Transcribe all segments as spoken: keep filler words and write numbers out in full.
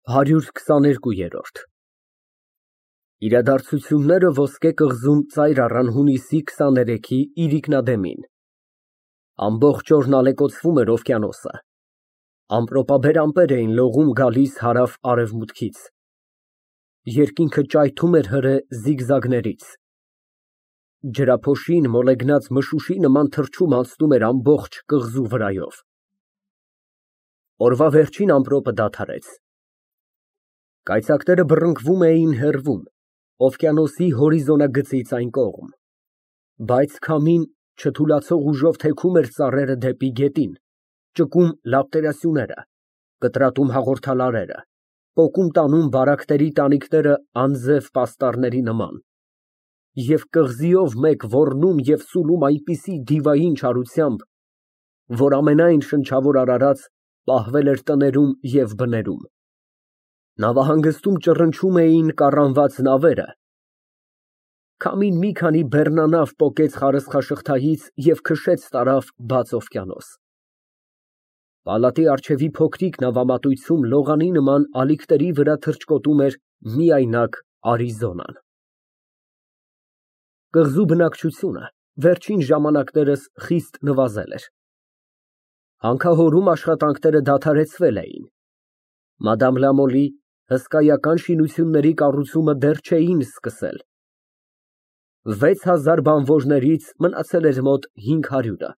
հարյուր քսաներկու։ Իրադարձությունները Ոսկե կղզում ծայր առան հունիսի քսաներեքի իրիկնադեմին։ Ամբողջ օրն ալեկոծվում էր օվկիանոսը, ամպրոպաբեր ամպեր էին լողում գալիս հարավ֊արևմուտքից, երկինքը ճայթում էր հրե զիգզագներից, ջրափոշին մոլեգնած մշուշի նման թռչում անցնում էր ամբողջ կղզու վրայով։ Օրվա վերջին ամպրոպը դադարեց։ Կայծակները բռնկվում էին հեռվում, օվկիանոսի հորիզոնագծից այն կողմ, բայց քամին չթուլացող ուժով թեքում էր ծառերը դեպի գետին, ճկում լապտերասյուները, կտրատում հաղորդալարերը, պոկում տանում բարակների տանիքները անձև պաստառների նման, և կղզիով մեկ ոռնում և սուլում այնպիսի դիվային չարությամբ, որ ամենայն շնչավոր արարած պահվել էր տներում և բներում։ Նավահանգստում ճռնչում էին կառանված նավերը, քամին մի քանի բեռնանավ պոկեց խարսխաշղթայից և քշեց տարավ բաց օվկիանոս։ Պալատի առջևի փոքրիկ նավամատույցում լողանի նման ալիքների վրա թռչկոտում էր միայնակ Արիզոնան։ Կղզու բնակչությունը վերջին ժամանակներս խիստ նվազել էր։ Հանքահորում աշխատանքները դադարեցվել էին։ Մադամ Լամոլի հսկայական շինությունների կառուցումը դեռ չէին սկսել։ Վեց հազար բանվորներից մնացել էր մոտ հինգ հարյուրը։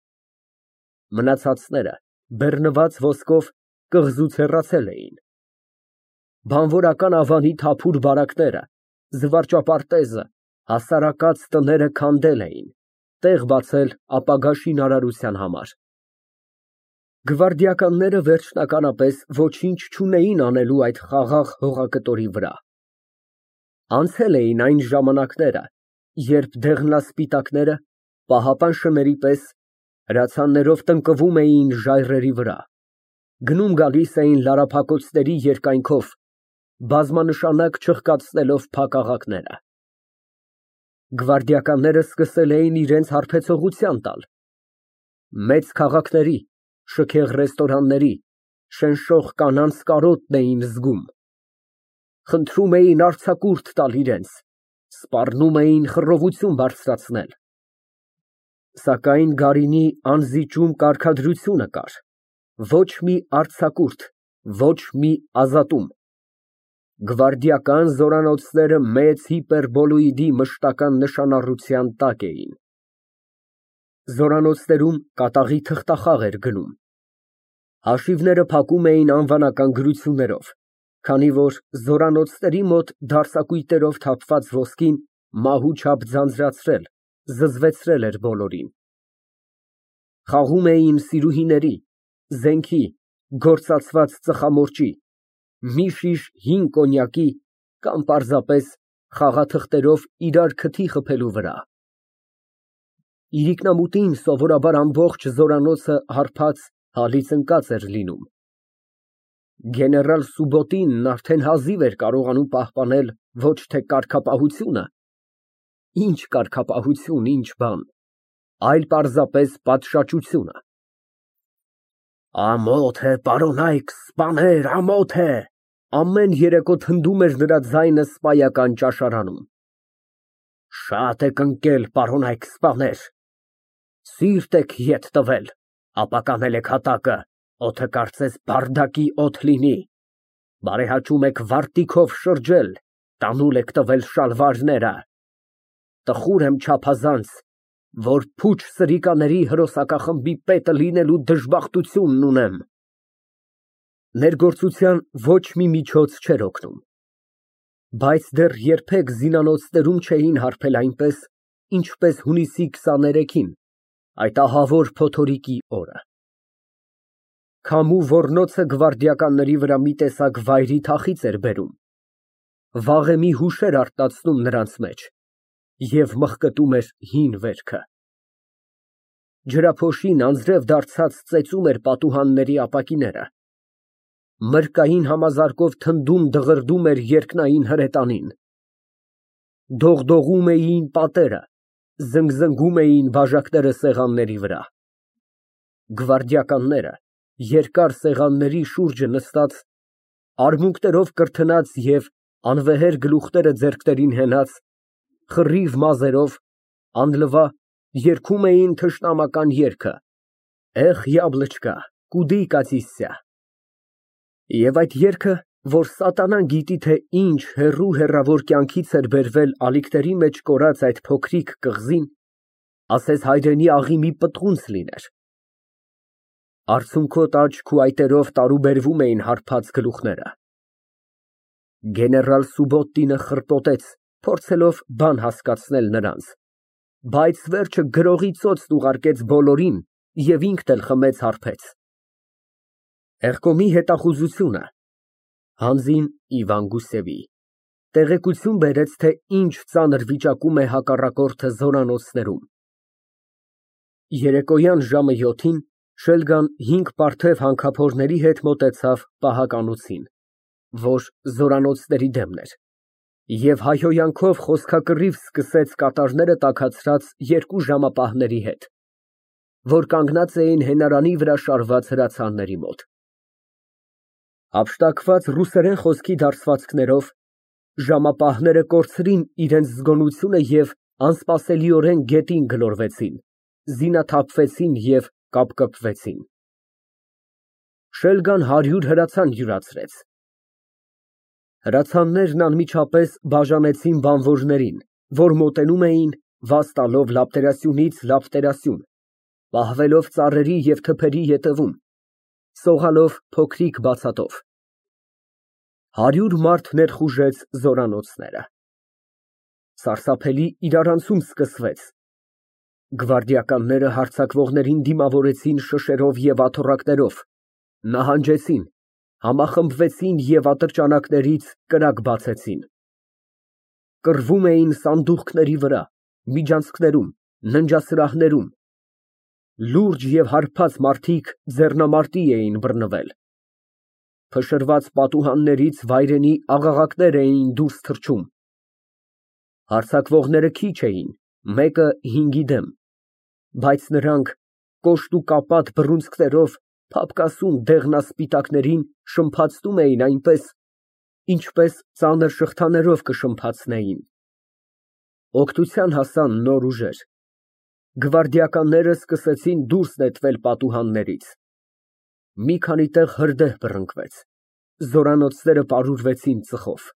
Մնացածները բեռնված ոսկով կղզուց հեռացել էին։ Բանվորական ավանի թափուր բարակները, զվարճապարտեզը, հասարակած տները քանդել էին, տեղ բացել ապագա շինարարության համար։ Գվարդիականները վերջնականապես ոչինչ չունեին անելու այդ խաղաղ հողակտորի վրա։ Անցել էին այն ժամանակները, երբ դեղնասպիտակները, պահապան շների պես, հրացաններով տնկվում էին ժայռերի վրա, գնում գալիս էին լարափակոցների երկայնքով, բազմանշանակ չխկացնելով փակաղակները։ Գվարդիականները սկսել էին իրենց հարբեցողության տալ։ Մեծ քաղաքների, շքեղ ռեստորանների, շնշող կանանց կարոտն էին զգում։ Խնդրում էին արձակուրդ տալ իրենց, սպառնում էին խռովություն բարձրացնել։ Սակայն գարինի անզիջում կարգադրությունը կար, ոչ մի արձակուրդ, ոչ մի ազատում։ Գվարդիական զորանոցները մեծ հիպերբոլոիդի մշտական նշանառության տակ էին։ Զորանոցներում կատաղի թղթախաղ էր գնում։ Հաշիվները փակում էին անվանական գրություններով, քանի որ զորանոցների մոտ դարսակույտերով թափված ոսկին մահու չափ ձանձրացրել, զզվեցրել էր բոլորին։ Խաղում էին սիրուհիների, զենքի, գործածված ծխամորճի, մի շիշ հին կոնյակի կամ պարզապես խաղաթղթերով իրար քթի խփելու վրա։ Իրիկնամուտին սովորաբար ամբողջ զորանոցը հարբած, հալից ընկած էր լինում։ Գեներալ Սուբոտինն արդեն հազիվ էր կարողանում պահպանել ոչ թե կարգապահությունը, ինչ կարգապահություն, ինչ բան, այլ պարզապես պատշաճությունը։ Ամոթ է, պարոնայք սպաներ, ամոթ է, ամեն երեկո թնդում էր նրա ձայնը սպայական ճաշարանում։ Շատ եք ընկել, պարոնայք սպաներ, սիրտ եք ետ տվել, ապականել եք հատակը, օդը կարծես բարդակի օդ լինի, բարեհաճում եք վարտիքով շրջել, տանուլ եք տվել շալվարները։ Տխուր եմ չափազանց, որ փուչ սրիկաների հրոսակախմբի պետը լինելու դժբախտությունն ունեմ։ Ներգործության ոչ մի միջոց չէր օգնում, բայց դեռ երբեք զինանոցներում չէին հարբել այնպես, ինչպես հունիսի քսաներեքին, այդ ահավոր փոթորիկի օրը։ Քամու ոռնոցը գվարդիականների վրա մի տեսակ վայրի թախիծ էր բերում, վաղեմի հուշեր արթնացնում նրանց մեջ և մղկտում էր հին վերքը։ Ջրափոշին անձրև դարձած ծեծում էր պատուհանների ապակիները, մրկային համազարկով թնդում դղրդում էր երկնային հրետանին, դողդողում էին պատերը, զնգզնգում էին բաժակները սեղանների վրա։ Գվարդիականները, երկար սեղանների շուրջը նստած, արմունկներով կրթնած և անվեհեր գլուխները ձեռքներին հենած, խռիվ մազերով, անլվա, երգում էին թշնամական երգը «Էխ, յաբլոչկա, կուդի կատիսյա»։ Եվ այդ երգը, որ սատանան գիտի, թե ինչ հեռու հեռավոր կյանքից էր բերվել ալիքների մեջ կորած այդ փոքրիկ կղզին, ասես հայրենի աղի մի պտղունց լիներ։ Արցունքոտ աչք ու այտերով տարուբերվում էին հարբած գլուխները։ Գեներալ Սուբոտինը խռպոտեց, փորձելով բան հասկացնել նրանց, բայց վերջը գրողի ծոցն ուղարկեց բոլորին և ինքն էլ խմեց հարբեց։ Եղկոմի հետախուզությունը (Հանձին Իվան Գուսևի) տեղեկություն բերեց, թե ինչ ծանր վիճակում է հակառակորդը զորանոցներում։ Երեկոյան ժամը յոթին Շելգան հինգ պարթև հանքափորների հետ մոտեցավ պահականոցին, որ զորանոցների դեմն էր, և հայհոյանքով խոսքակռիվ սկսեց կատարները տաքացրած երկու ժամապահների հետ, որ կանգնած էին հենարանի վրա շարված հրացանների մոտ։ Հափշտակված ռուսերեն խոսքի դարսվածքներով ժամապահները կորցրին իրենց զգոնությունը և անսպասելիորեն գետին գլորվեցին, զինաթափվեցին և կապկպվեցին։ Շելգան հարյուր հրացան յուրացրեց։ Հրացաններն անմիջապես բաժանեցին բանվորներին, որ մոտենում էին, վազ տալով լապտերասյունից լապտերասյուն, պահվելով ծառերի և թփերի ետևում, սողալով փոքրիկ բացատով։ Հարյուր մարդ ներխուժեց զորանոցները։ Սարսափելի իրարանցում սկսվեց։ Գվարդիականները հարձակվողներին դիմավորեցին շշերով և աթոռակներով, նահանջեցին, համախմբվեցին և ատրճանակներից կրակ բացեցին։ Կռվում էին սանդուղքների վրա, միջանցքներում, ննջասրահներում։ Լուրջ և հարբած մարդիկ ձեռնամարտի էին բռնվել։ Փշրված պատուհաններից վայրենի աղաղակներ էին դուրս թռչում։ Հարձակվողները քիչ էին, մեկը հինգի դեմ, բայց նրանք կոշտ ու կապատ բռունցքներով փափկասուն դեղնասպիտակներին շրմփացնում էին այնպես, ինչպես ծանր շղթաներով կշրմփացնեին։ Օգնության հասան նոր ուժեր։ Գվարդիականները սկսեցին դուրս նետվել պատուհաններից։ Մի քանի տեղ հրդեհ բռնկվեց, զորանոցները պարուրվեցին ծխով։